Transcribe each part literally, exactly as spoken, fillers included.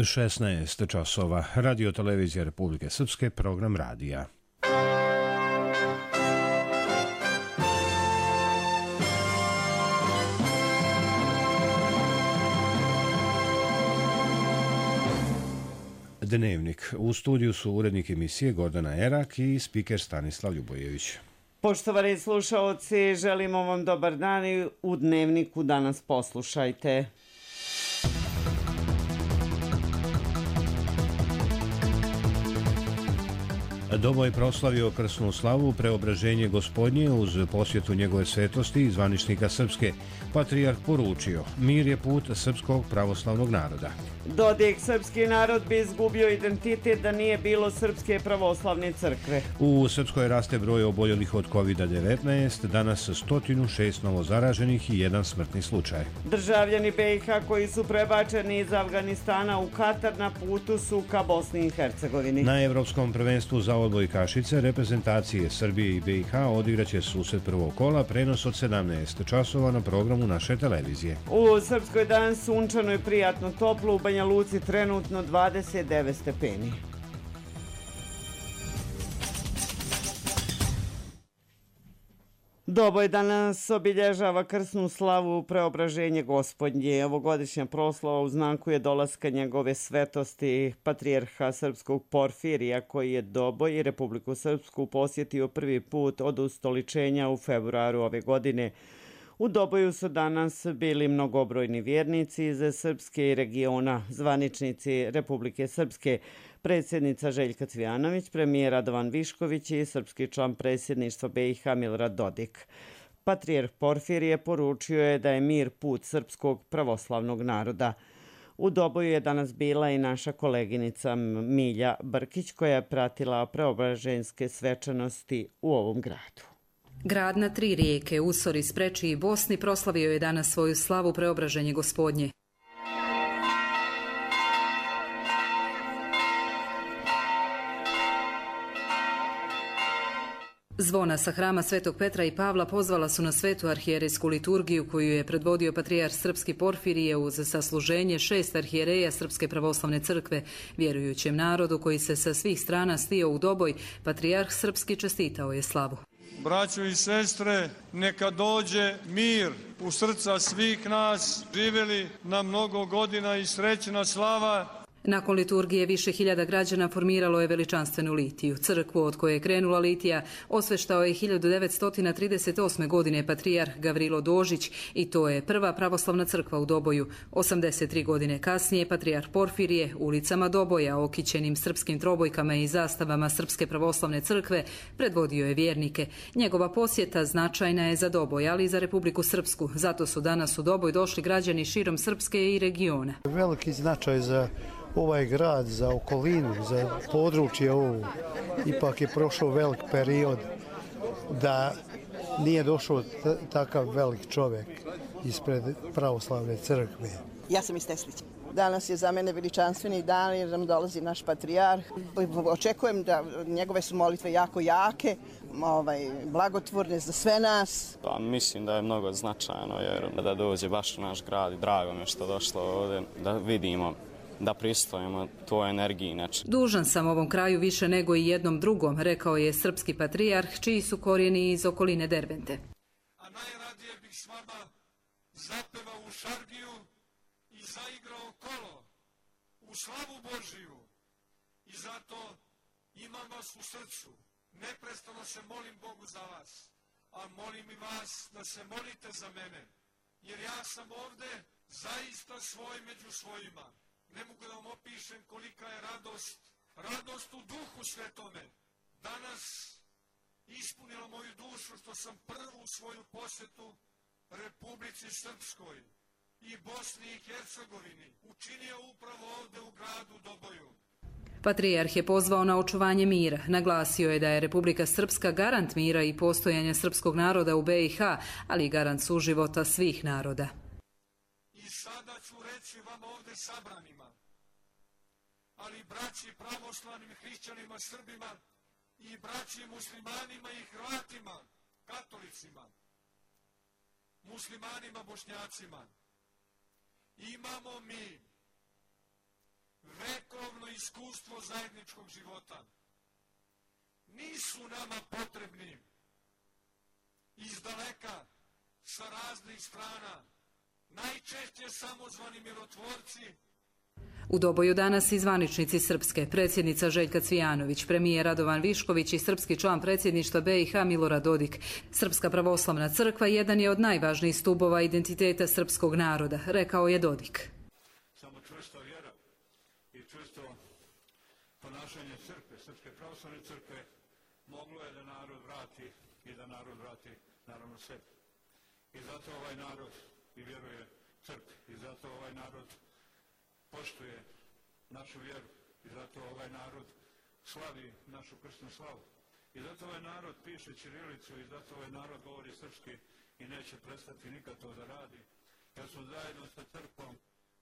šesnaest časova. Radio televizija Republike Srpske, program radija. Dnevnik. U studiju su urednik emisije Gordana Erak i spiker Stanislav Ljubojević. Poštovani slušaoci, želimo vam dobar dan i u Dnevniku danas poslušajte. Doboj proslavio krsnu slavu Preobraženje Gospodnje uz posjetu njegove svetosti i zvaničnika Srpske. Patrijarh poručio, mir je put srpskog pravoslavnog naroda. Dodik, srpski narod bi izgubio identitet da nije bilo Srpske pravoslavne crkve. U Srpskoj raste broj oboljelih od kovid devetnaest, danas sto šest novozaraženih i jedan smrtni slučaj. Državljani be i ha koji su prebačeni iz Afganistana u Katar na putu su ka Bosni i Hercegovini. Na Evropskom prvenstvu za odbojkašice reprezentacije Srbije i be i ha odigraće susret prvog kola, prenos od sedamnaest časova na programu naše televizije. U Srpskoj danas sunčano i prijatno toplo, u Banja Luci trenutno dvadeset devet stepeni. Doboj danas obilježava krsnu slavu Preobraženje Gospodnje. Ovogodišnja proslava uznakuje dolaska njegove svetosti patrijarha srpskog Porfirija, koji je Doboj i Republiku Srpsku posjetio prvi put od ustoličenja u februaru ove godine. U Doboju su danas bili mnogobrojni vjernici iz Srpske i regiona, zvaničnici Republike Srpske, predsjednica Željka Cvijanović, premijer Radovan Višković i srpski član predsjedništva be i ha Milorad Dodik. Patrijarh Porfirije poručio je da je mir put srpskog pravoslavnog naroda. U Doboju je danas bila i naša koleginica Milja Brkić, koja je pratila preobraženske svečanosti u ovom gradu. Grad na tri rijeke, Usori, Spreči i Bosni proslavio je danas svoju slavu Preobraženje Gospodnje. Zvona sa hrama Svetog Petra i Pavla pozvala su na svetu arhijerejsku liturgiju koju je predvodio patrijarh srpski Porfirije uz sasluženje šest arhijereja Srpske pravoslavne crkve. Vjerujućem narodu koji se sa svih strana stio u Doboj, patrijarh srpski čestitao je slavu. Braćo i sestre, neka dođe mir u srca svih nas, živjeli na mnogo godina i srećna slava. Nakon liturgije više hiljada građana formiralo je veličanstvenu litiju. Crkvu od koje je krenula litija osveštao je hiljadu devetsto trideset osme. godine patrijarh Gavrilo Dožić i to je prva pravoslavna crkva u Doboju. osamdeset tri godine kasnije patrijarh Porfirije ulicama Doboja, okićenim srpskim trobojkama i zastavama Srpske pravoslavne crkve, predvodio je vjernike. Njegova posjeta značajna je za Doboj, ali i za Republiku Srpsku. Zato su danas u Doboj došli građani širom Srpske i regiona. Veliki značaj za ovaj grad, za okolinu, za područje ovo. Ipak je prošao velik period da nije došao takav velik čovjek ispred pravoslavne crkve. Ja sam iz Teslića. Danas je za mene veličanstveni dan jer nam dolazi naš patrijarh. Očekujem da njegove su molitve jako jake, ovaj, blagotvorne za sve nas. Pa, mislim da je mnogo značajno jer da dođe baš u naš grad i drago mi je što došlo ovdje da vidimo, da pristojimo toj energiji. Neče. Dužan sam ovom kraju više nego i jednom drugom, rekao je srpski patrijarh, čiji su korijeni iz okoline Dervente. A najradije bih s vama zapevao u šargiju i zaigrao kolo u slavu Božiju. I zato imam vas u srcu. Neprestano se molim Bogu za vas. A molim i vas da se molite za mene. Jer ja sam ovdje zaista svoj među svojima. Ne mogu da vam opišem kolika je radost, radost u duhu svetome. Danas ispunilo moju dušu što sam prvu svoju posjetu Republici Srpskoj i Bosni i Hercegovini učinio upravo ovdje u gradu Doboju. Patrijarh je pozvao na očuvanje mira. Naglasio je da je Republika Srpska garant mira i postojanja srpskog naroda u be i ha, ali i garant suživota svih naroda. I sada ću reći vam ovdje sabranima, ali braći pravoslavnim hrišćanima, Srbima i braći muslimanima i Hrvatima, katolicima, muslimanima, bošnjacima, imamo mi vekovno iskustvo zajedničkog života. Nisu nama potrebni iz daleka, sa raznih strana, najčešće samozvani mirotvorci. U Doboju danas i zvaničnici Srpske, predsjednica Željka Cvijanović, premijer Radovan Višković i srpski član predsjedništva B i H Milorad Dodik. Srpska pravoslavna crkva jedan je od najvažnijih stubova identiteta srpskog naroda, rekao je Dodik. Samo čvrsta vjera i čvrsto ponašanje crkve, Srpske pravoslavne crkve, moglo je da narod vrati i da narod vrati naravno sebi. I zato ovaj narod i vjeruje crkvi, i zato ovaj narod poštuje našu vjeru, i zato ovaj narod slavi našu krsnu slavu. I zato ovaj narod piše ćirilicu, i zato ovaj narod govori srpski i neće prestati nikad to da radi. Jer smo zajedno sa crkvom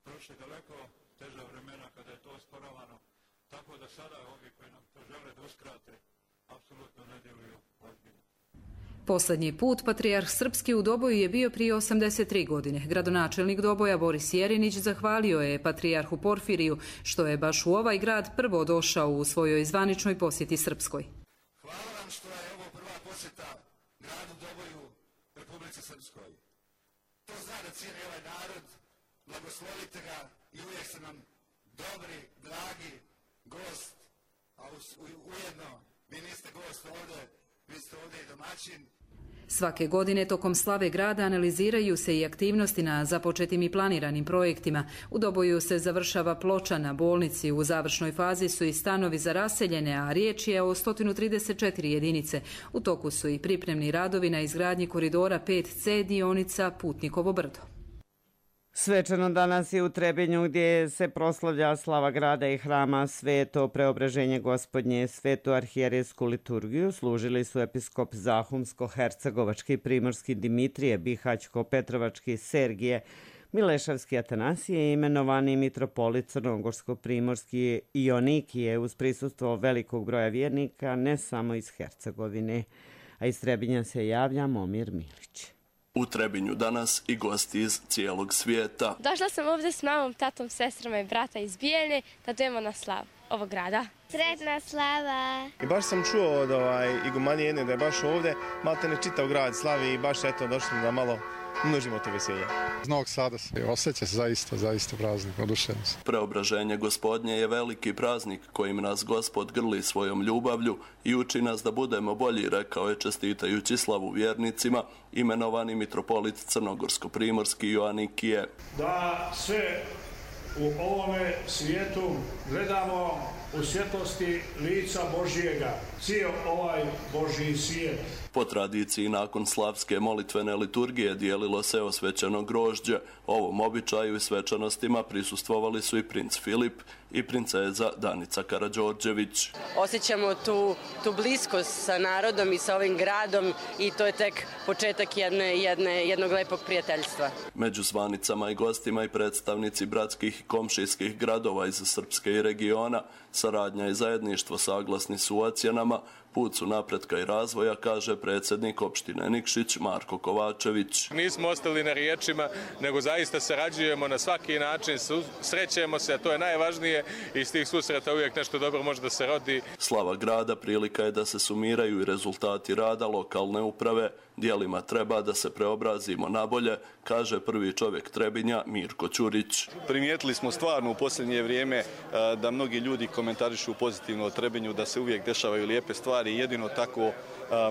prošli daleko teža vremena kada je to osporavano, tako da sada ovi koji nam to žele da uskrate, apsolutno ne djeluju ozbiljno. Posljednji put patrijarh Srpski u Doboju je bio prije osamdeset tri godine. Gradonačelnik Doboja Boris Jerinić zahvalio je patrijarhu Porfiriju što je baš u ovaj grad prvo došao u svojoj zvaničnoj posjeti Srpskoj. Hvala vam što je ovo prva posjeta gradu Doboju, Republici Srpskoj. To zna da cijeli ovaj narod, blagoslovite ga i uvijek ste nam dobri, dragi gost, a ujedno vi niste gost ovdje, vi ste ovdje i domaćin. Svake godine tokom slave grada analiziraju se i aktivnosti na započetim i planiranim projektima. U Doboju se završava ploča na bolnici, u završnoj fazi su i stanovi za raseljene, a riječ je o sto trideset četiri jedinice. U toku su i pripremni radovi na izgradnji koridora pet C dionica Putnikovo brdo. Svečano danas je u Trebinju gdje se proslavlja slava grada i hrama Sveto Preobraženje Gospodnje. Svetu arhijerejsku liturgiju služili su episkop Zahumsko-hercegovački, primorski Dimitrije, Bihaćko-petrovački Sergije, Milešavski Atanasije i imenovani mitropolit Crnogorsko-primorski Ionikije uz prisustvo velikog broja vjernika ne samo iz Hercegovine, a iz Trebinja se javlja Momir Milić. U Trebinju danas i gosti iz cijelog svijeta. Došla sam ovdje s mamom, tatom, sestrama i brata iz Bijeljne da dojemo na slavu ovog grada. Sretna slava! I baš sam čuo od ovaj, igumanije jedne da je baš ovdje, malte ne čitav grad slavi i baš eto došli da malo množimo to veselje. Iz Novog Sada se osjeća se zaista, zaista praznik, oduševljen sam. Preobraženje Gospodnje je veliki praznik kojim nas Gospod grli svojom ljubavlju i uči nas da budemo bolji, rekao je čestitajući slavu vjernicima, imenovani mitropolit Crnogorsko-primorski Ioanikije. Da sve u ovome svijetu gledamo u svjetlosti lica Božijega, cijel ovaj Božji svijet. Po tradiciji nakon slavske molitvene liturgije dijelilo se osvećeno grožđe. Ovom običaju i svečanostima prisustvovali su i princ Filip i princeza Danica Karađorđević. Osjećamo tu, tu bliskost sa narodom i sa ovim gradom i to je tek početak jedne, jedne, jednog lepog prijateljstva. Među zvanicama i gostima i predstavnici bratskih i komšijskih gradova iz Srpske i regiona, saradnja i zajedništvo saglasni su u ocjenama, put su napretka i razvoja, kaže predsjednik opštine Nikšić Marko Kovačević. Nismo ostali na riječima, nego zaista sarađujemo na svaki način, srećemo se, a to je najvažnije i iz tih susreta uvijek nešto dobro može da se rodi. Slava grada prilika je da se sumiraju i rezultati rada lokalne uprave. Dijelima treba da se preobrazimo nabolje, kaže prvi čovjek Trebinja Mirko Ćurić. Primijetili smo stvarno u posljednje vrijeme da mnogi ljudi komentarišu pozitivno o Trebinju, da se uvijek dešavaju lijepe stvari i jedino tako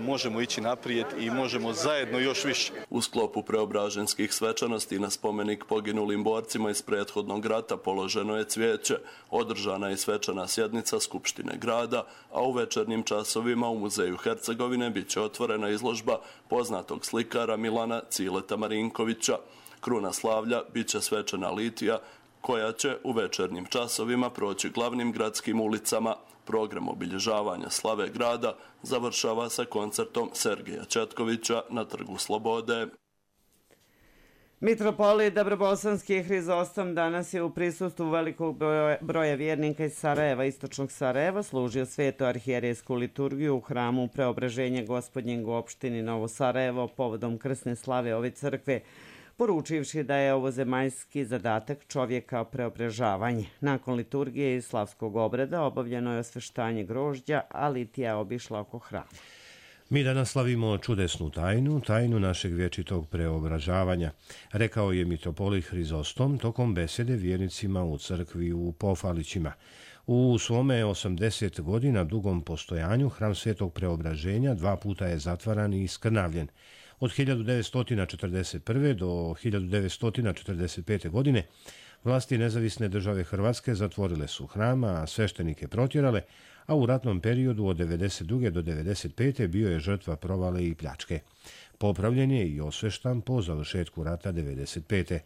možemo ići naprijed i možemo zajedno još više. U sklopu preobraženskih svečanosti na spomenik poginulim borcima iz prethodnog rata položeno je cvijeće, održana je svečana sjednica Skupštine grada, a u večernjim časovima u Muzeju Hercegovine bit će otvorena izložba poznatog slikara Milana Cileta Marinkovića. Kruna slavlja bit će svečana litija koja će u večernjim časovima proći glavnim gradskim ulicama. Program obilježavanja slave grada završava sa koncertom Sergeja Četkovića na Trgu Slobode. Mitropolit Dobrobosanski Hrizostom danas je u prisustvu velikog broja vjernika iz Sarajeva, istočnog Sarajeva, služio svetu arhijerejsku liturgiju u hramu Preobraženja Gospodnjeg u opštini Novo Sarajevo povodom krsne slave ove crkve. poručivši da je ovo zemaljski zadatak čovjeka preobražavanje. Nakon liturgije i slavskog obreda obavljeno je osveštanje grožđa, a litija je obišla oko hrama. Mi danas slavimo čudesnu tajnu, tajnu našeg vječitog preobražavanja, rekao je mitropolit Hrizostom tokom besede vjernicima u crkvi u Pofalićima. U svome osamdeset godina dugom postojanju hram Svetog Preobraženja dva puta je zatvaran i skrnavljen. Od hiljadu devetsto četrdeset prve. do hiljadu devetsto četrdeset pete. godine vlasti nezavisne države Hrvatske zatvorile su hram, a sveštenike protjerale, a u ratnom periodu od devedeset druge. do devedeset pete. bio je žrtva provale i pljačke. Popravljen je i osveštan po završetku rata devedeset pete.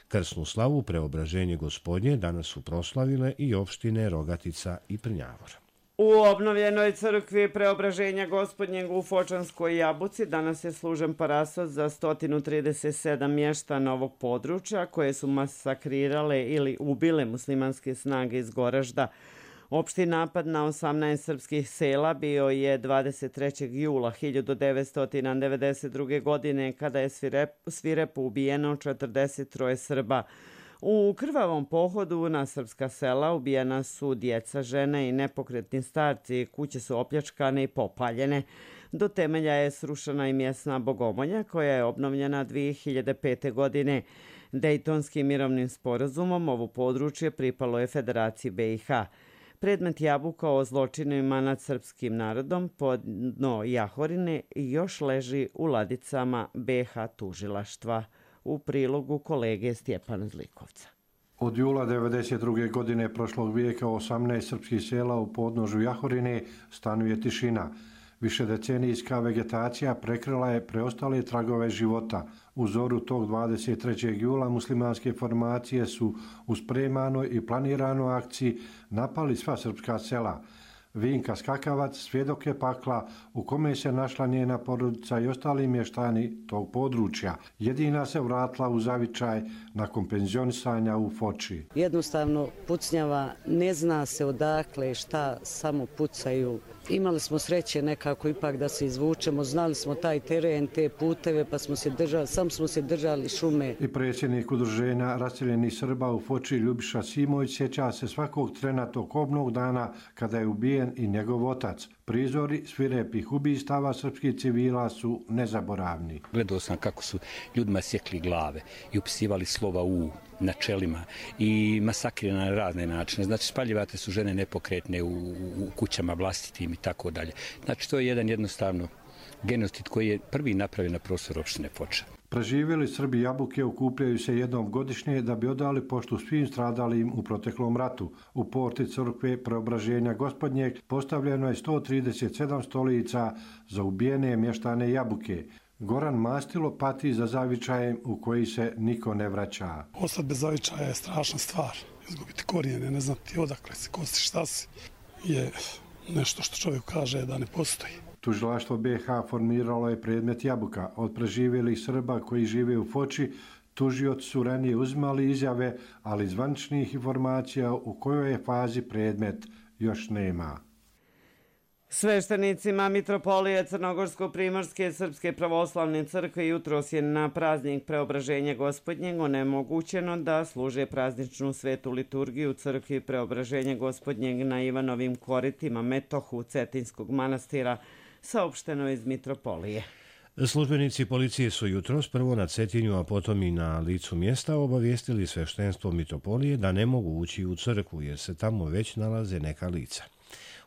Krsnu slavu Preobraženje Gospodnje danas su proslavile i opštine Rogatica i Prnjavor. U obnovljenoj crkvi Preobraženja Gospodnjeg u Fočanskoj Jabuci danas je služen parasot za sto trideset sedam mještana ovog područja koje su masakrirale ili ubile muslimanske snage iz Goražda. Opšti napad na osamnaest srpskih sela bio je dvadeset trećeg jula hiljadu devetsto devedeset druge. godine kada je svirep, svirepo ubijeno četrdeset troje Srba. U krvavom pohodu na srpska sela ubijena su djeca, žene i nepokretni starci, kuće su opljačkane i popaljene. Do temelja je srušena i mjesna bogomolja koja je obnovljena dvije hiljade pete. godine. Dejtonskim mirovnim sporazumom ovo područje pripalo je Federaciji B i H. Predmet Jabuka o zločinima nad srpskim narodom pod dno Jahorine još leži u ladicama B i H tužilaštva. U prilogu kolege Stjepana Zlikovca. Od jula devedeset druge. godine prošlog vijeka osamnaest srpskih sela u podnožju Jahorine stanuje tišina. Višedecenijska vegetacija prekrila je preostale tragove života. U zoru tog dvadeset trećeg jula muslimanske formacije su u spremanoj i planiranoj akciji napali sva srpska sela. Vinka Skakavac svjedok je pakla u kome se našla njena porodica i ostali mještani tog područja. Jedina se vratila u zavičaj nakon penzionisanja u Foči. Jednostavno pucnjava, ne zna se odakle šta, samo pucaju. Imali smo sreće nekako ipak da se izvučemo, znali smo taj teren, te puteve, pa smo se držali, sam smo se držali šume. I predsjednik udruženja raseljenih Srba u Foči Ljubiša Simović sjeća se svakog trena tog kobnog dana kada je ubijen i njegov otac. Prizori svirepih ubistava srpskih civila su nezaboravni. Gledao sam kako su ljudima sjekli glave i upisivali slova U na čelima i masakrirani na razne načine. Znači, spaljivate su žene nepokretne u, u kućama vlastitim i tako dalje. Znači, to je jedan jednostavno genocid koji je prvi napravljen na prostoru opštine Foča. Preživjeli Srbi Jabuke okupljaju se jednom godišnje da bi odali poštu svim stradalim u proteklom ratu. U porti crkve Preobraženja Gospodnjeg postavljeno je sto trideset sedam stolica za ubijene mještane Jabuke. Goran Mastilo pati za zavičajem u koji se niko ne vraća. Ostati bez zavičaja je strašna stvar. Izgubiti korijene, ne znati odakle si, ko si, šta si, je nešto što čovjek kaže da ne postoji. Tužilaštvo B i H formiralo je predmet Jabuka. Od preživjelih Srba koji žive u Foči, tužioci su ranije uzimali izjave, ali zvaničnih informacija u kojoj je fazi predmet još nema. Sveštenicima Mitropolije Crnogorsko-Primorske Srpske pravoslavne crkve jutros je na praznik Preobraženja Gospodnjeg onemogućeno da služe prazničnu svetu liturgiju u crkvi Preobraženja Gospodnjeg na Ivanovim koritima Metohu Cetinskog manastira, saopšteno iz Mitropolije. Službenici policije su jutros prvo na Cetinju, a potom i na licu mjesta obavijestili sveštenstvo Mitropolije da ne mogu ući u crkvu jer se tamo već nalaze neka lica.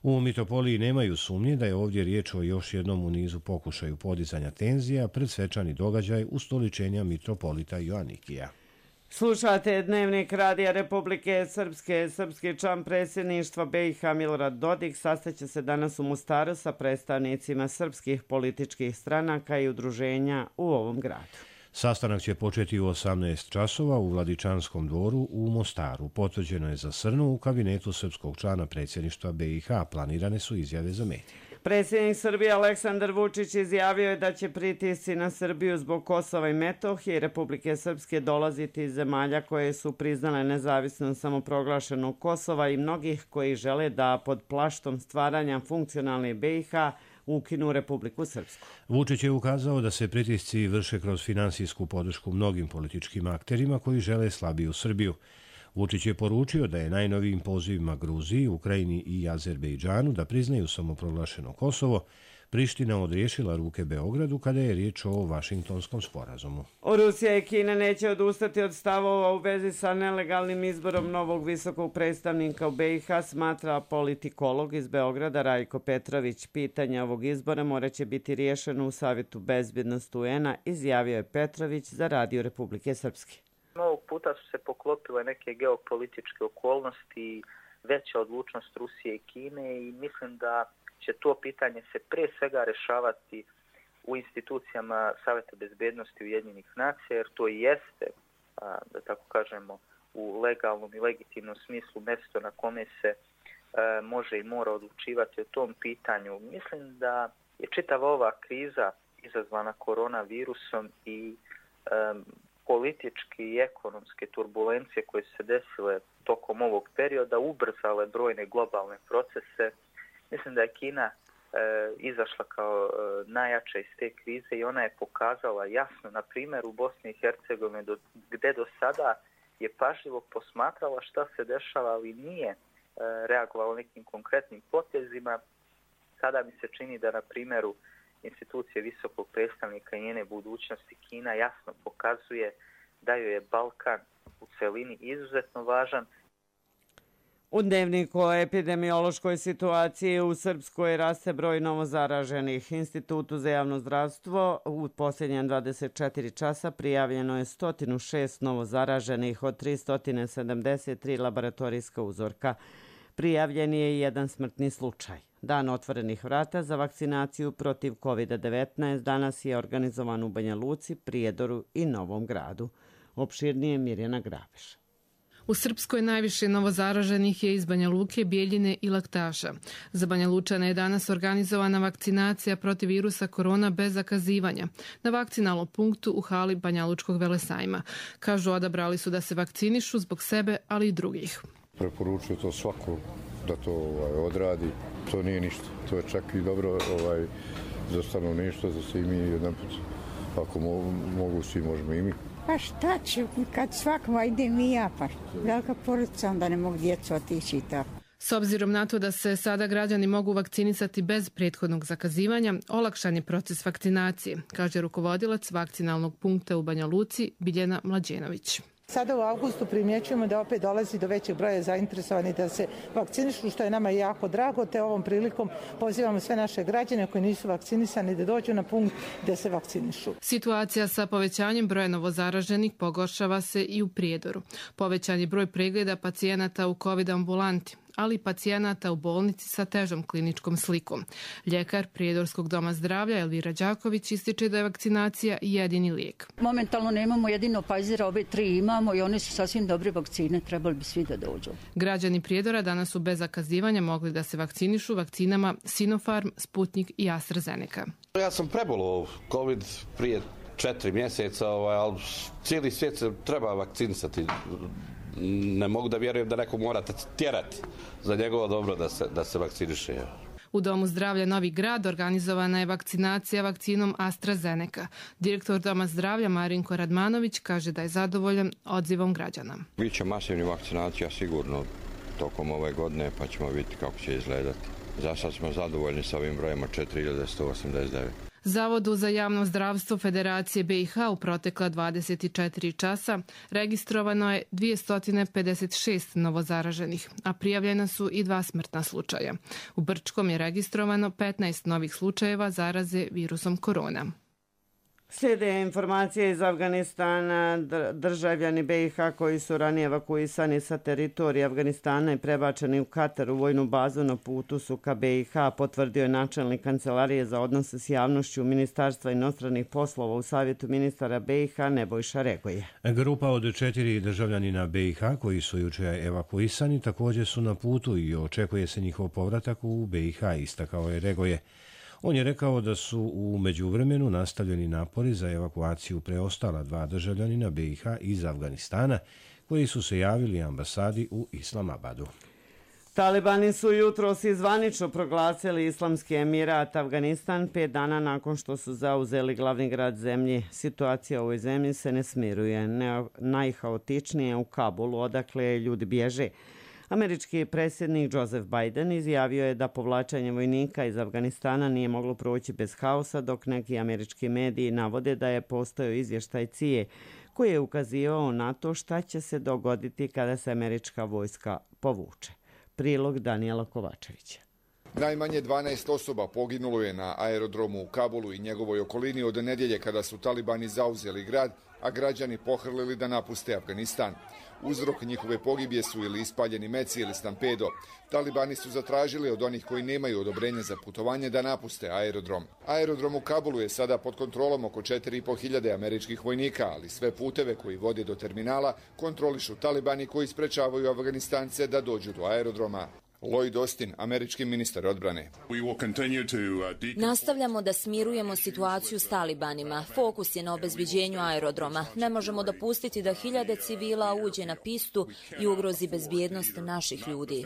U Mitropoliji nemaju sumnje da je ovdje riječ o još jednom u nizu pokušaju podizanja tenzija pred svečani događaj ustoličenja mitropolita Joanikija. Slušate Dnevnik Radija Republike Srpske. Srpski član predsjedništva B i H Milorad Dodik sastaće se danas u Mostaru sa predstavnicima srpskih političkih stranaka i udruženja u ovom gradu. Sastanak će početi u osamnaest časova u Vladičanskom dvoru u Mostaru. Potvrđeno je za Srnu u kabinetu srpskog člana predsjedništva B i H. Planirane su izjave za medije. Predsjednik Srbije Aleksandar Vučić izjavio je da će pritisci na Srbiju zbog Kosova i Metohije i Republike Srpske dolaziti iz zemalja koje su priznale nezavisnost samoproglašenog Kosova i mnogih koji žele da pod plaštom stvaranja funkcionalne B i H ukinu Republiku Srpsku. Vučić je ukazao da se pritisci vrše kroz finansijsku podršku mnogim političkim akterima koji žele slabiju Srbiju. Vučić je poručio da je najnovijim pozivima Gruziji, Ukrajini i Azerbejdžanu da priznaju samoproglašeno Kosovo, Priština odriješila ruke Beogradu kada je riječ o Vašingtonskom sporazumu. Rusija i Kina neće odustati od stavova u vezi sa nelegalnim izborom novog visokog predstavnika u B i H, smatra politikolog iz Beograda Rajko Petrović. Pitanje ovog izbora moraće biti riješeno u Savjetu bezbjednosti U N-a, izjavio je Petrović za Radio Republike Srpske. Ovog puta su se poklopile neke geopolitičke okolnosti i veća odlučnost Rusije i Kine i mislim da će to pitanje se pre svega rešavati u institucijama Savjeta bezbednosti Ujedinjenih nacija, jer to i jeste, da tako kažemo, u legalnom i legitimnom smislu mjesto na kome se može i mora odlučivati o tom pitanju. Mislim da je čitava ova kriza izazvana koronavirusom i um, politički i ekonomske turbulencije koje su se desile tokom ovog perioda ubrzale brojne globalne procese. Mislim da je Kina e, izašla kao e, najjača iz te krize i ona je pokazala jasno, na primjer u Bosni i Hercegovini, do, gdje do sada je pažljivo posmatrala šta se dešava, ali nije e, reagovala nekim konkretnim potezima. Sada mi se čini da na primjeru institucije visokog predstavnika i njene budućnosti Kina jasno pokazuje da joj je Balkan u celini izuzetno važan. U dnevniku o epidemiološkoj situaciji u Srpskoj raste broj novozaraženih. Institutu za javno zdravstvo u posljednjem dvadeset četiri časa prijavljeno je sto šest novozaraženih od tristo sedamdeset tri laboratorijska uzorka. Prijavljen je jedan smrtni slučaj. Dan otvorenih vrata za vakcinaciju protiv kovid devetnaest danas je organizovan u Banja Luci, Prijedoru i Novom Gradu. Opširnije Mirjana Grabeš. U Srpskoj najviše novozaraženih je iz Banja Luke, Bijeljine i Laktaša. Za Banja Lučane je danas organizovana vakcinacija protiv virusa korona bez zakazivanja na vakcinalnom punktu u hali Banja Lučkog velesajma. Kažu, odabrali su da se vakcinišu zbog sebe, ali i drugih. Preporučuju to svako da to ovaj, odradi. To nije ništa. To je čak i dobro ovaj, za stanovništvo, za svi mi jedan put. Ako mo mogu, svi možemo i mi. Pa šta ću, kad svakva idem i ja, pa velika porodica, onda ne mogu djecu otići i tako. S obzirom na to da se sada građani mogu vakcinisati bez prethodnog zakazivanja, olakšan je proces vakcinacije, kaže rukovodilac vakcinalnog punkta u Banja Luci Biljana Mlađenović. Sada u avgustu primjećujemo da opet dolazi do većeg broja zainteresovanih da se vakcinišu, što je nama jako drago, te ovom prilikom pozivamo sve naše građane koji nisu vakcinisani da dođu na punkt da se vakcinišu. Situacija sa povećanjem broja novozaraženih pogoršava se i u Prijedoru. Povećan je broj pregleda pacijenata u COVID ambulanti, ali i pacijenata u bolnici sa težom kliničkom slikom. Ljekar Prijedorskog doma zdravlja Elvira Đaković ističe da je vakcinacija jedini lijek. Momentalno nemamo jedino Pfizera, obe tri imamo i one su sasvim dobre vakcine, trebali bi svi da dođu. Građani Prijedora danas su bez zakazivanja mogli da se vakcinišu vakcinama Sinopharm, Sputnik i AstraZeneca. Ja sam prebolao COVID prije četiri mjeseca, ali cijeli svijet se treba vakcinisati. Ne mogu da vjerujem da neko mora tjerati za njegovo dobro da se, da se vakciniše. U Domu zdravlja Novi Grad organizovana je vakcinacija vakcinom AstraZeneca. Direktor Doma zdravlja Marinko Radmanović kaže da je zadovoljan odzivom građana. Biće masivni vakcinacija sigurno tokom ove godine, pa ćemo vidjeti kako će izgledati. Za sad smo zadovoljni sa ovim brojima četiri hiljade sto osamdeset devet. Zavodu za javno zdravstvo Federacije B i H u protekla dvadeset četiri časa registrovano je dvjesto pedeset šest novozaraženih, a prijavljena su i dva smrtna slučaja. U Brčkom je registrovano petnaest novih slučajeva zaraze virusom korona. Slijede informacije iz Afganistana. Državljani B i H koji su ranije evakuisani sa teritorije Afganistana i prebačeni u Katar u vojnu bazu na putu su ka B i H, potvrdio je načelnik Kancelarije za odnose s javnošću Ministarstva inostranih poslova u Savjetu ministara B i H Nebojša Regoje. Grupa od četiri državljanina B i H koji su jučer evakuisani također su na putu i očekuje se njihov povratak u B i H, istakao je Regoje. On je rekao da su u međuvremenu nastavljeni napori za evakuaciju preostala dva državljanina B i H iz Afganistana koji su se javili ambasadi u Islamabadu. Talibani su jutros i zvanično proglasili Islamski Emirat Afganistan pet dana nakon što su zauzeli glavni grad zemlje. Situacija u ovoj zemlji se ne smiruje. Najhaotičnije u Kabulu, odakle ljudi bježe. Američki predsjednik Joseph Biden izjavio je da povlačenje vojnika iz Afganistana nije moglo proći bez haosa, dok neki američki mediji navode da je postojao izvještaj C I A koji je ukazivao na to šta će se dogoditi kada se američka vojska povuče. Prilog Danijela Kovačevića. Najmanje dvanaest osoba poginulo je na aerodromu u Kabulu i njegovoj okolini od nedjelje kada su talibani zauzeli grad, a građani pohrlili da napuste Afganistan. Uzrok njihove pogibije su ili ispaljeni meci ili stampedo. Talibani su zatražili od onih koji nemaju odobrenje za putovanje da napuste aerodrom. Aerodrom u Kabulu je sada pod kontrolom oko četiri i po hiljade američkih vojnika, ali sve puteve koji vode do terminala kontrolišu talibani koji sprečavaju Afganistance da dođu do aerodroma. Lloyd Austin, američki ministar odbrane. Nastavljamo da smirujemo situaciju s talibanima. Fokus je na obezbiđenju aerodroma. Ne možemo dopustiti da hiljade civila uđe na pistu i ugrozi bezbjednost naših ljudi.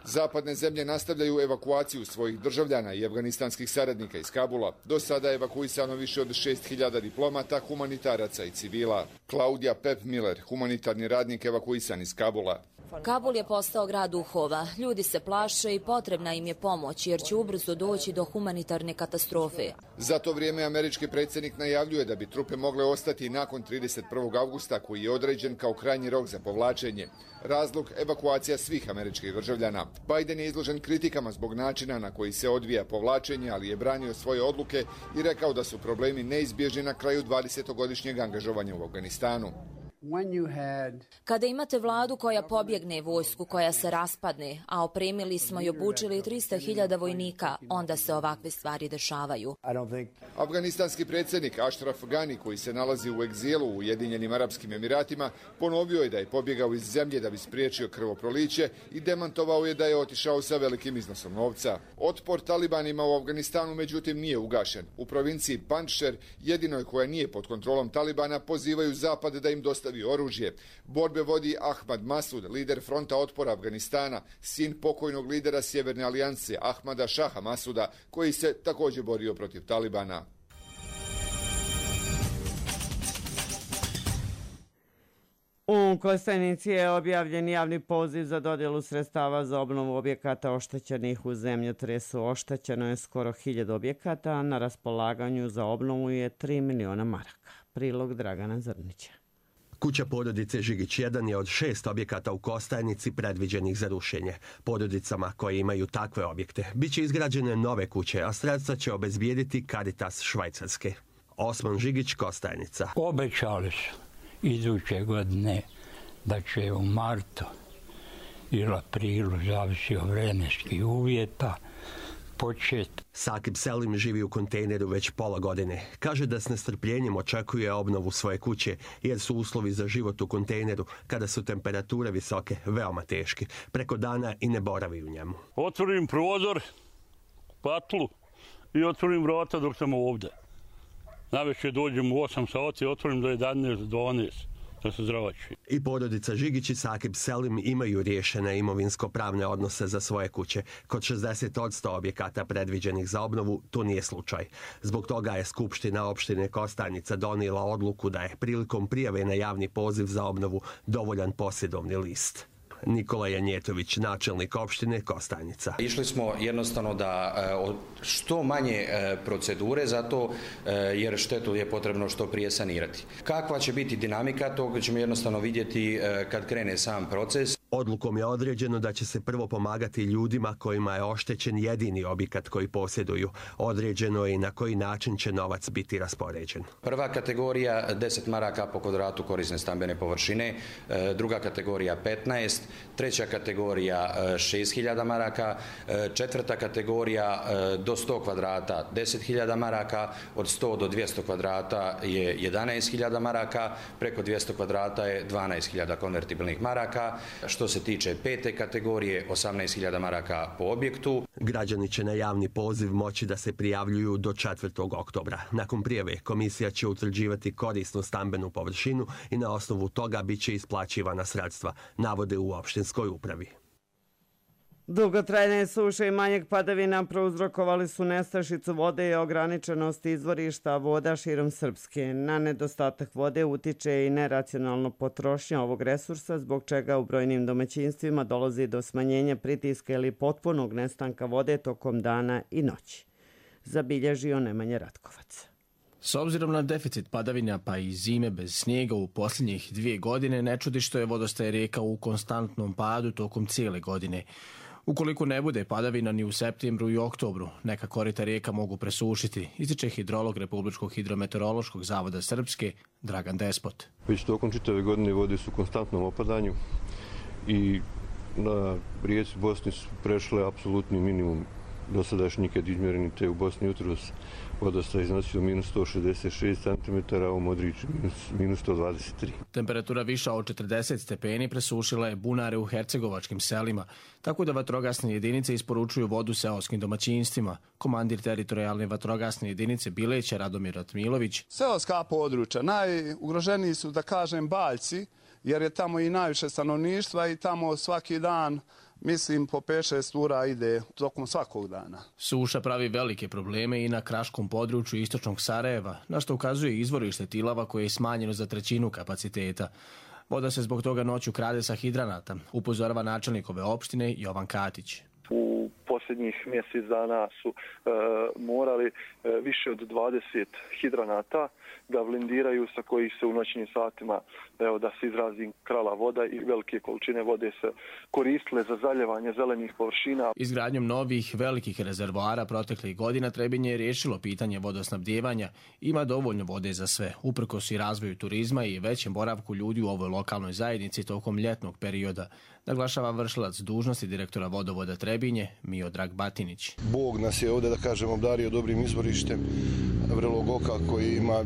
Zapadne zemlje nastavljaju evakuaciju svojih državljana i afganistanskih saradnika iz Kabula. Do sada je evakuisano više od šest hiljada diplomata, humanitaraca i civila. Claudia Pep Miller, humanitarni radnik evakuisan iz Kabula. Kabul je postao grad duhova. Ljudi se plaše i potrebna im je pomoć jer će ubrzo doći do humanitarne katastrofe. Za to vrijeme američki predsjednik najavljuje da bi trupe mogle ostati nakon trideset prvog avgusta koji je određen kao krajnji rok za povlačenje. Razlog evakuacija svih američkih državljana. Biden je izložen kritikama zbog načina na koji se odvija povlačenje, ali je branio svoje odluke i rekao da su problemi neizbježni na kraju dvadesetogodišnjeg angažovanja u Afganistanu. Kada imate vladu koja pobjegne, vojsku koja se raspadne, a opremili smo i obučili trista hiljada vojnika, onda se ovakve stvari dešavaju. Afganistanski predsjednik Ashraf Ghani, koji se nalazi u egzilu u Ujedinjenim Arapskim Emiratima, ponovio je da je pobjegao iz zemlje da bi spriječio krvoproliće i demantovao je da je otišao sa velikim iznosom novca. Otpor talibanima u Afganistanu međutim nije ugašen. U provinciji Panjšer, jedinoj koja nije pod kontrolom talibana, pozivaju Zapad da im dostavi oružje. Borbe vodi Ahmad Masud, lider fronta otpora Afganistana, sin pokojnog lidera Sjeverne alijanse Ahmada Šaha Masuda, koji se također borio protiv talibana. U Kostajnici je objavljen javni poziv za dodjelu sredstava za obnovu objekata oštećenih u zemljotresu. Oštećeno je skoro hiljadu objekata, a na raspolaganju za obnovu je tri miliona maraka. Prilog Dragana Zrnića. Kuća porodice Žigić jedan je od šest objekata u Kostajnici predviđenih za rušenje. Porodicama koje imaju takve objekte biće izgrađene nove kuće, a sredstva će obezbijediti Caritas Švajcarske. Osman Žigić, Kostajnica. Obećali su iduće godine da će u martu ili aprilu, zavisi od vremenskih uvjeta, početi. Sakib Selim živi u kontejneru već pola godine. Kaže da s nestrpljenjem očekuje obnovu svoje kuće, jer su uslovi za život u kontejneru, kada su temperature visoke, veoma teški. Preko dana i ne boravi u njemu. Otvorim prozor, patlu i otvorim vrata dok sam ovdje. Navečer dođem u osam sati, otvorim do jedanaest, dvanaest. Da se zdravači. I porodica Žigić i Sakib Selim imaju riješene imovinsko-pravne odnose za svoje kuće. Kod šezdeset posto objekata predviđenih za obnovu to nije slučaj. Zbog toga je Skupština opštine Kostajnica donijela odluku da je prilikom prijave na javni poziv za obnovu dovoljan posjedovni list. Nikola Janjetović, načelnik opštine Kostajnica. Išli smo jednostavno da što manje procedure zato jer štetu je potrebno što prije sanirati. Kakva će biti dinamika, toga ćemo jednostavno vidjeti kad krene sam proces. Odlukom je određeno da će se prvo pomagati ljudima kojima je oštećen jedini objekat koji posjeduju. Određeno je i na koji način će novac biti raspoređen. Prva kategorija deset maraka po kvadratu korisne stambene površine, druga kategorija petnaest, treća kategorija šest hiljada maraka, četvrta kategorija do sto kvadrata deset hiljada maraka, od sto do dvjesto kvadrata je jedanaest hiljada maraka, preko dvjesto kvadrata je dvanaest hiljada konvertibilnih maraka. Što se tiče pete kategorije, osamnaest hiljada maraka po objektu. Građani će na javni poziv moći da se prijavljuju do četvrtog oktobra. Nakon prijave, komisija će utvrđivati korisnu stambenu površinu i na osnovu toga bit će isplaćivana sredstva, navode u opštinskoj upravi. Dugotrajne suše i manjeg padavina prouzrokovali su nestašicu vode i ograničenost izvorišta voda širom Srpske. Na nedostatak vode utiče i neracionalno potrošnja ovog resursa, zbog čega u brojnim domaćinstvima dolazi do smanjenja pritiska ili potpunog nestanka vode tokom dana i noći. Zabilježio Nemanja Ratkovac. S obzirom na deficit padavina pa i zime bez snijega u posljednjih dvije godine, ne čudi što je vodostaj rijeka u konstantnom padu tokom cijele godine. Ukoliko ne bude padavina ni u septembru i oktobru, neka korita rijeka mogu presušiti, ističe hidrolog Republičkog hidrometeorološkog zavoda Srpske, Dragan Despot. Već tokom čitave godine vode su u konstantnom opadanju i na rijeci Bosni su prešle apsolutni minimum dosadašnji nikad izmjereni, te u Bosni jutros vodostaj iznosio minus sto šezdeset šest centimetara, a u Modriću minus sto dvadeset tri. Temperatura viša od četrdeset stepeni presušila je bunare u hercegovačkim selima, tako da vatrogasne jedinice isporučuju vodu seoskim domaćinstvima. Komandir teritorijalne vatrogasne jedinice Bileća Radomir Ratmilović. Seoska područja, najugroženiji su, da kažem, Baljci, jer je tamo i najviše stanovništva i tamo svaki dan, mislim, po pet šest ura ide tokom svakog dana. Suša pravi velike probleme i na kraškom području istočnog Sarajeva, na što ukazuje izvorište Tilava koje je smanjeno za trećinu kapaciteta. Voda se zbog toga noću krade sa hidranata, upozorava načelnik ove opštine Jovan Katić. U posljednjih mjesec dana su e, morali e, više od dvadeset hidranata da blindiraju, sa kojih se u noćnim satima, evo da se izrazim, krala voda i velike količine vode se koristile za zaljevanje zelenih površina. Izgradnjom novih velikih rezervoara proteklih godina Trebinje je riješilo pitanje vodosnabdijevanja. Ima dovoljno vode za sve, uprkos i razvoju turizma i većem boravku ljudi u ovoj lokalnoj zajednici tokom ljetnog perioda, naglašava vršilac dužnosti direktora vodovoda Trebinje Miodrag Batinić. Bog nas je ovdje, da kažem, obdario dobrim izvorištem Vrelog oka koji ima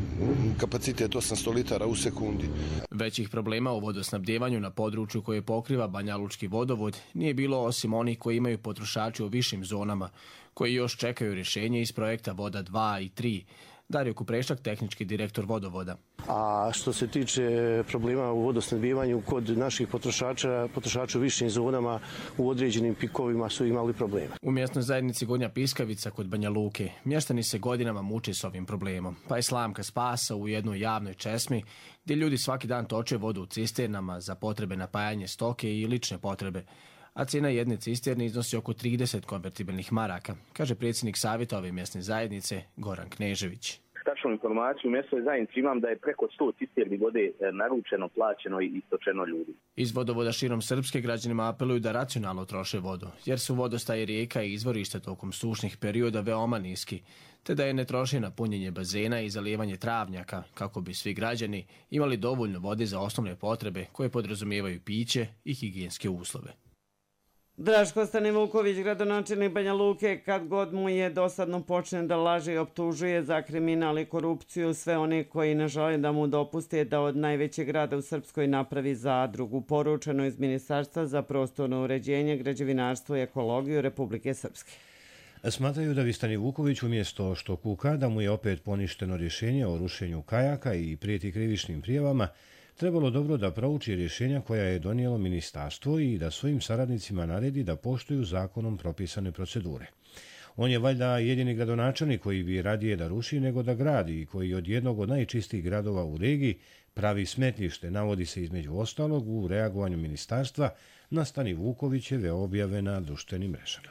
kapacitet osamsto litara u sekundi. Većih problema u vodosnabdjevanju na području koje pokriva Banjalučki vodovod nije bilo osim onih koji imaju potrošači u višim zonama, koji još čekaju rješenje iz projekta Voda dva i tri. Dario Kuprešak, tehnički direktor vodovoda. A što se tiče problema u vodosnabdijevanju kod naših potrošača, potrošača u višim zonama u određenim pikovima su imali problema. U mjesnoj zajednici Gornja Piskavica kod Banja Luke mještani se godinama muče s ovim problemom, pa je slamka spasa u jednoj javnoj česmi gdje ljudi svaki dan toče vodu u cisternama za potrebe napajanja stoke i lične potrebe. A cijena jedne cisterne iznosi oko trideset konvertibilnih maraka, kaže predsjednik savjeta ove mjesne zajednice Goran Knežević. Tačnu informaciju u mjesnoj zajednici imam da je preko sto cisterni vode naručeno, plaćeno i istočeno ljudi. Iz vodovoda širom Srpske građanima apeluju da racionalno troše vodu, jer su vodostaje rijeka i izvorišta tokom sušnih perioda veoma niski, te da je ne troše na punjenje bazena i zalijevanje travnjaka, kako bi svi građani imali dovoljno vode za osnovne potrebe koje podrazumijevaju piće i higijenske uslove. Draško Stanivuković, gradonačelnik Banja Luke, kad god mu je dosadno počne da laže i optužuje za kriminal i korupciju sve one koji ne žele da mu dopuste da od najvećeg grada u Srpskoj napravi zadrugu, poručeno iz Ministarstva za prostorno uređenje, građevinarstvo i ekologiju Republike Srpske. Smatraju da bi Stanivuković umjesto što kuka da mu je opet poništeno rješenje o rušenju kajaka i prijeti krivičnim prijavama, trebalo dobro da prouči rješenja koja je donijelo ministarstvo i da svojim saradnicima naredi da poštuju zakonom propisane procedure. On je valjda jedini gradonačelnik koji bi radije da ruši nego da gradi i koji od jednog od najčistijih gradova u regiji pravi smetlište, navodi se između ostalog u reagovanju ministarstva na Stanivukovićeve objave na društvenim mrežama.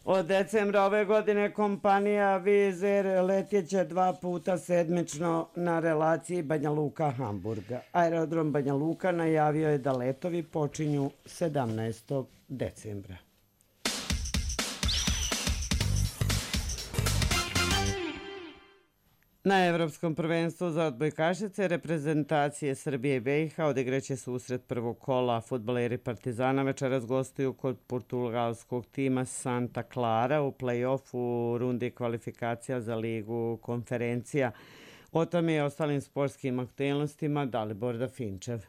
Od decembra ove godine kompanija Wizz Air letjeće dva puta sedmično na relaciji Banja Luka-Hamburga. Aerodrom Banja Luka najavio je da letovi počinju sedamnaestog decembra. Na Evropskom prvenstvu za odbojkašice reprezentacije Srbije i B i H odigraće susret prvog kola. Fudbaleri Partizana večeras gostuju kod portugalskog tima Santa Clara u play-offu rundi kvalifikacija za ligu konferencija. O tome i ostalim sportskim aktualnostima Dalibor Dafinčev.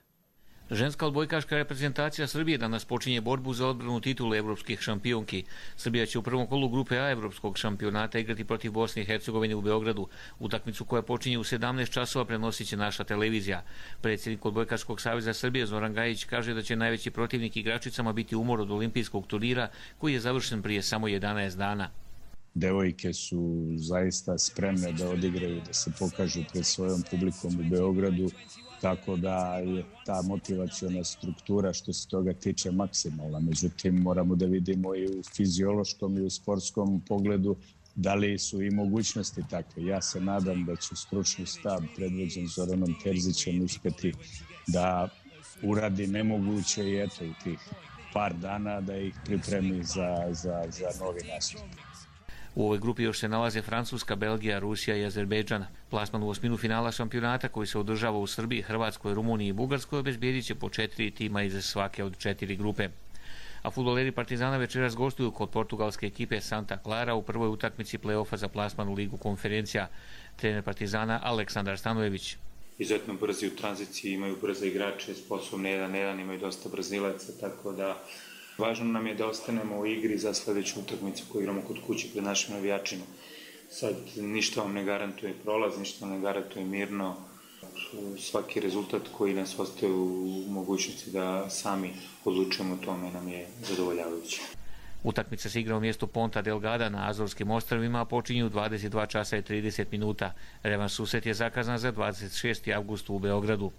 Ženska odbojkaška reprezentacija Srbije danas počinje borbu za odbranu titule evropskih šampionki. Srbija će u prvom kolu grupe A evropskog šampionata igrati protiv Bosne i Hercegovine u Beogradu. Utakmicu koja počinje u sedamnaest časova prenosit će naša televizija. Predsjednik Odbojkaškog saveza Srbije Zoran Gajić kaže da će najveći protivnik igračicama biti umor od olimpijskog turnira koji je završen prije samo jedanaest dana. Devojke su zaista spremne da odigraju, da se pokažu pred svojom publikom u Beogradu, tako da je ta motivaciona struktura što se toga tiče maksimalna. Međutim, moramo da vidimo i u fiziološkom i u sportskom pogledu da li su i mogućnosti takve. Ja se nadam da će stručni štab predvođen Zoranom Terzićem uspjeti da uradi nemoguće i eto u tih par dana da ih pripremi za, za, za novi nastup. U ovoj grupi još se nalaze Francuska, Belgija, Rusija i Azerbejdžan. Plasman u osminu finala šampionata koji se održava u Srbiji, Hrvatskoj, Rumuniji i Bugarskoj obezbijedit će po četiri tima iz svake od četiri grupe. A fudbaleri Partizana večeras gostuju kod portugalske ekipe Santa Clara u prvoj utakmici play-offa za plasman u ligu konferencija. Trener Partizana Aleksandar Stanojević. Izuzetno brzi u tranziciji, imaju brze igrače, sposobne jedan jedan, imaju dosta brzilaca, tako da važno nam je da ostanemo u igri za sljedeću utakmicu koju igramo kod kuće pred našim navijačima. Sad ništa vam ne garantuje prolaz, ništa vam ne garantuje mirno. Svaki rezultat koji nas ostaje u mogućnosti da sami odlučujemo o tome nam je zadovoljavajući. Utakmica se igra u mjestu Ponta Delgada na Azorskim ostrvima, a počinju u dvadeset dva časa i trideset minuta. Revanš susret je zakazan za dvadeset šesti avgust u Beogradu.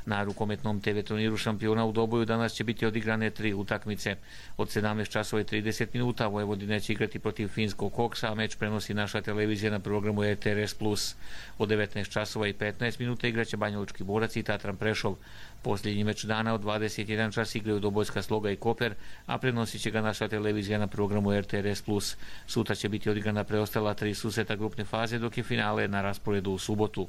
Na rukometnom te ve turniru šampiona u Doboju danas će biti odigrane tri utakmice. Od sedamnaest časova i trideset minuta Vojvodina će igrati protiv finskog Koksa, a meč prenosi naša televizija na programu R T R S plus. Od devetnaest časova i petnaest minuta igraće Banjalučki Borac i Tatran Prešov. Posljednji meč dana od dvadeset jedan čas igraju Dobojska Sloga i Koper, a prenosit će ga naša televizija na programu R T R S plus. Sutra će biti odigrana preostala tri susreta grupne faze, dok je finale na rasporedu u subotu.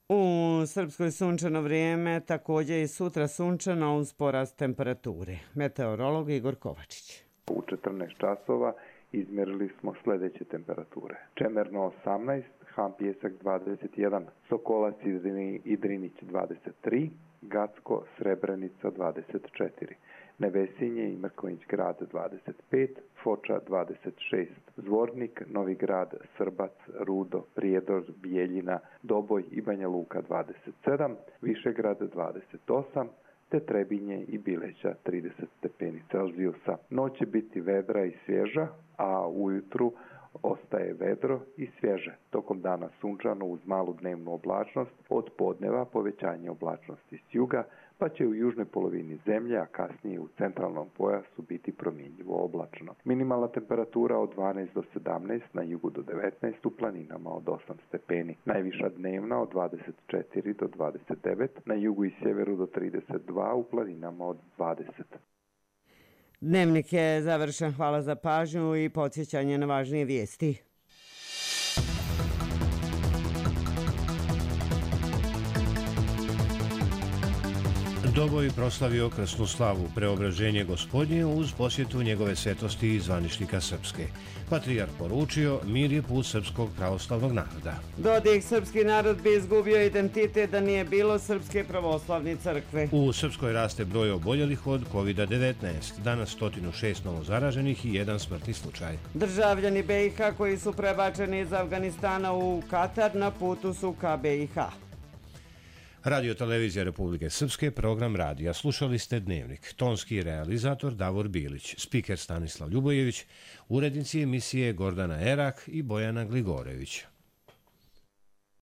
U Srpskoj sunčano vrijeme, također i sutra sunčano uz porast temperature. Meteorolog Igor Kovačić. U četrnaest časova izmjerili smo sljedeće temperature. Čemerno osamnaest, Han Pijesak dvadeset jedan, Sokolac i Drinić dvadeset tri, Gacko, Srebrenica dvadeset četiri, Nevesinje i Mrkonjić grad dvadeset pet, Foča dvadeset šest, Zvornik, Novi grad, Srbac, Rudo, Prijedor, Bijeljina, Doboj i Banja Luka dvadeset sedam, Višegrad dvadeset osam, te Trebinje i Bileća trideset stepeni Celzijusa. Noć će biti vedra i svježa, a ujutru ostaje vedro i svježe. Tokom dana sunčano uz malu dnevnu oblačnost, od podneva povećanje oblačnosti s juga, pa će u južnoj polovini zemlje, a kasnije u centralnom pojasu biti promjenjivo oblačno. Minimalna temperatura od dvanaest do sedamnaest, na jugu do devetnaest, u planinama od osam stepeni. Najviša dnevna od dvadeset četiri do dvadeset devet, na jugu i sjeveru do trideset dva, u planinama od dvadeset. Dnevnik je završen, hvala za pažnju i podsjećanje na važnije vijesti. Doboj proslavio krsnu slavu, preobraženje Gospodnje uz posjetu njegove svetosti i zvaničnika Srpske. Patrijarh poručio, mir je put srpskog pravoslavnog naroda. Dodik, srpski narod bi izgubio identitet da nije bilo Srpske pravoslavne crkve. U Srpskoj raste broj oboljelih od kovid devetnaest. Danas sto šest novo zaraženih i jedan smrtni slučaj. Državljani B i H koji su prebačeni iz Afganistana u Katar na putu su ka B i H. Radio Televizija Republike Srpske, program radija. Slušali ste Dnevnik. Tonski realizator Davor Bilić, spiker Stanislav Ljubojević, urednici emisije Gordana Erak i Bojana Gligorević.